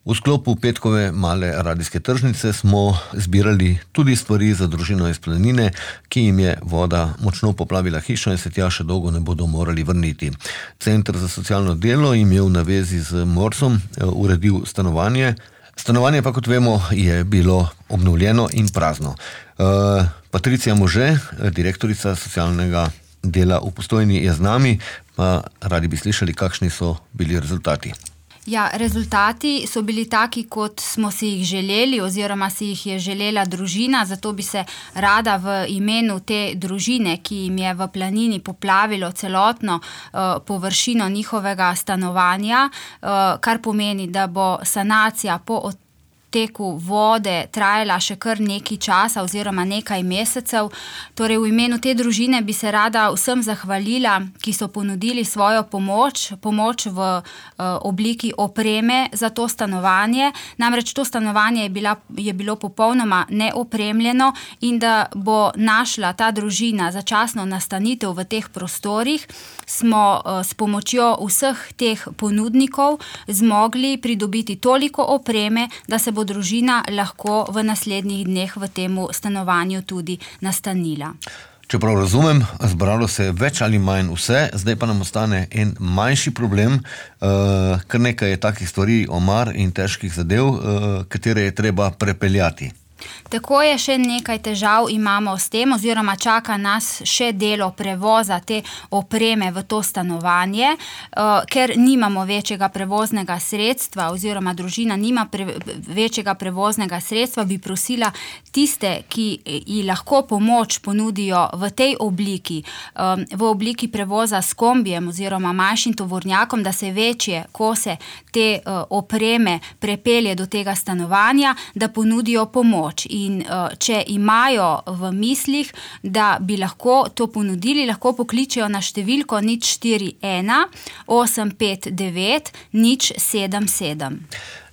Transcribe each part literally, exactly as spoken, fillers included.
V sklopu petkove male radijske tržnice smo zbirali tudi stvari za družino iz Planine, ki jim je voda močno poplavila hišo in se tja še dolgo ne bodo morali vrniti. Center za socialno delo jim je v navezi z Morsom uredil stanovanje. Stanovanje pa, kot vemo, je bilo obnovljeno in prazno. Uh, Patricija Može, direktorica socialnega dela v Postojni, je z nami, pa radi bi slišali, kakšni so bili rezultati. Ja, rezultati so bili taki, kot smo si jih želeli oziroma si jih je želela družina, zato bi se rada v imenu te družine, ki jim je v Planini poplavilo celotno uh, površino njihovega stanovanja, uh, kar pomeni, da bo sanacija po teku vode trajala še kar nekaj časa oziroma nekaj mesecev. Torej v imenu te družine bi se rada vsem zahvalila, ki so ponudili svojo pomoč, pomoč v uh, obliki opreme za to stanovanje. Namreč to stanovanje je, bila, je bilo popolnoma neopremljeno in da bo našla ta družina začasno nastanitev v teh prostorih, smo uh, s pomočjo vseh teh ponudnikov zmogli pridobiti toliko opreme, da se bo družina lahko v naslednjih dneh v temu stanovanju tudi nastanila. Čeprav razumem, zbralo se je več ali manj vse, zdaj pa nam ostane en manjši problem, uh, kar nekaj je takih stvari, omar in težkih zadev, uh, katere je treba prepeljati. Tako je, še nekaj težav imamo s tem, oziroma čaka nas še delo prevoza te opreme v to stanovanje, uh, ker nimamo večjega prevoznega sredstva oziroma družina nima pre, večjega prevoznega sredstva, bi prosila tiste, ki ji lahko pomoč ponudijo v tej obliki, um, v obliki prevoza s kombijem oziroma manjšim tovornjakom, da se večje kose te uh, opreme prepelje do tega stanovanja, da ponudijo pomoč. In uh, če imajo v mislih, da bi lahko to ponudili, lahko pokličejo na številko nič štiri ena osem pet devet nič sedem sedem.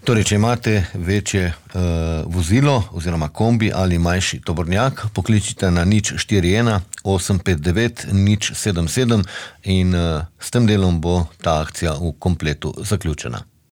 Torej, če imate večje uh, vozilo oziroma kombi ali manjši tovornjak, pokličite na nič štiri ena osem pet devet nič sedem sedem in uh, s tem delom bo ta akcija v kompletu zaključena.